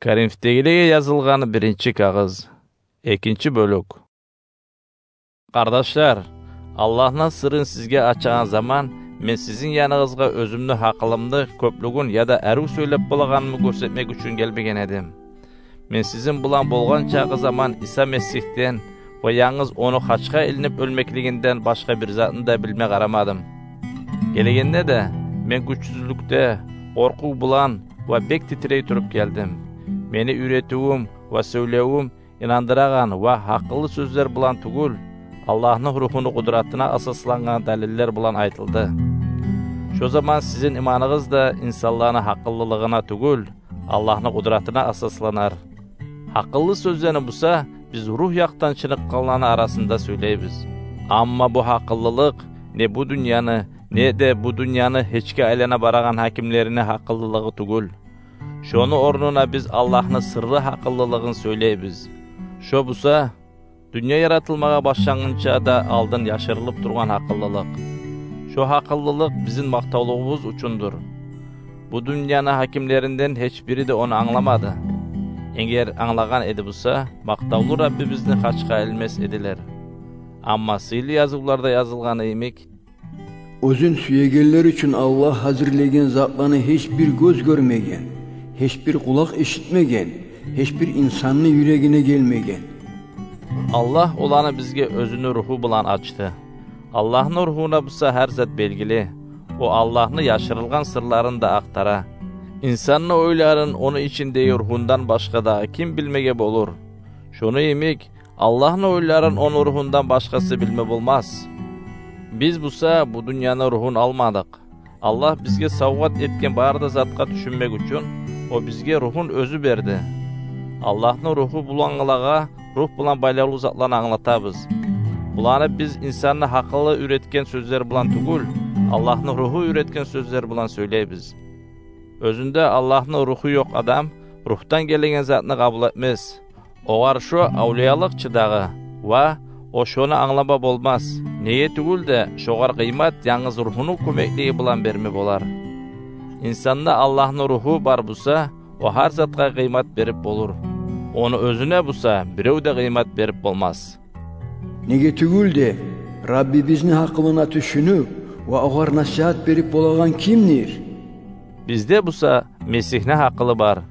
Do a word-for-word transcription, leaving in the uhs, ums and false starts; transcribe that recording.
Коринфдегилеге язылгъан биринчи кагъыз. Экинчи бёлюк. Къардашлар, Аллагьны сырын сизге ачагъан заман мен сизин яныгъызгъа оьзюмню гьакъылымны кёплюгюн яда арив сёйлеп болагъанымны гёрсетмек учун гелмеген эдим. Мен сизин булан болгъан чакъы заман Иса Месигьден ва янгыз ону хачгъа илинип оьлмеклигинден башгъа бир затны да билме къарамадым. Гелегенде де мен гючсюзлюкде, къоркъув булан ва бек титирей туруп гелдим. Мени уьйретивюм ва сёйлевюм инандырагъан ва гьакъыллы сёзлер булан тюгюл, Аллагьны Рухуну къудратына асаслангъан далиллер булан айтылды. Шо заман сизин иманыгъыз да инсанланы гьакъыллылыгъына тюгюл, Аллагьны къудратына асасланар. Гьакъыллы сёзлени буса биз рух якъдан чыныкъгъанланы арасында сёйлейбиз. Амма бу гьакъыллылыкъ не бу дюньяны, не де бу дюньяны гьечге айлана барагъан гьакимлерини гьакъыллылыгъы тюгюл. Шону орнуна биз Аллагьны сырлы гьакъыллылыгъын сёйлейбиз. Шо буса дюнья яратылмагъа башлангъынча да алдын яшырылып тургъан гьакъыллылыкъ. Шо гьакъыллылыкъ бизин макътавлугъубуз учундур. Бу дюньяны гьакимлеринден гьеч бири де ону англамады. Эгер англагъан эди буса, макътавлу Раббибизни хачгъа илмес эдилер. Амма сыйлы язывларда язылгъаны йимик: «Оьзюн сюегенлер учун Аллагь гьазирлеген затланы гьеч бир гёз гёрмеген, гьеч бир къулакъ эшитмеген, гьеч бир инсанны юрегине гелмеген». Аллагь оланы бизге Оьзюню Руху булан ачды. Аллагьны Рухуна буса гьар зат белгили. О Аллагьны яшырылгъан сырларын да ахтара. Инсанны ойларын ону ичиндеги Рухундан башгъа дагъы ким билмеге болур? Шону йимик, Аллагьны ойларын ону Рухундан башгъасы билме болмас. Биз буса бу дюньяны рухун алмадыкъ. Аллагь бизге савгъат этген бары да затгъа тюшюнмек учун, О бизге Рухун Оьзю берди. Аллагьны Руху булангъылагъа Рух булан байлавлу затланы англатабыз. Буланы биз инсанны гьакъылы уьйретген сёзлер булан тюгюл, Аллагьны Руху уьйретген сёзлер булан сёйлейбиз. Оьзюнде Аллагьны Руху ёкъ адам Рухдан гелеген затны къабул этмес. Огъар шо авлиялыкъ чы дагъы, ва о шону англама болмас. Неге тюгюл де, шогъар къыймат янгыз Рухуну кёмеклиги булан берме болар. Инсанда Аллагьны Руху бар буса, о гьар затгъа къыймат берип болур. Ону оьзюне буса бирев де къыймат берип болмас. Неге тюгюл де, Раббибизни гьакъылына тюшюнюп ва огъар насигьат берип болагъан кимдир? Бизде буса Месигьни гьакъылы бар.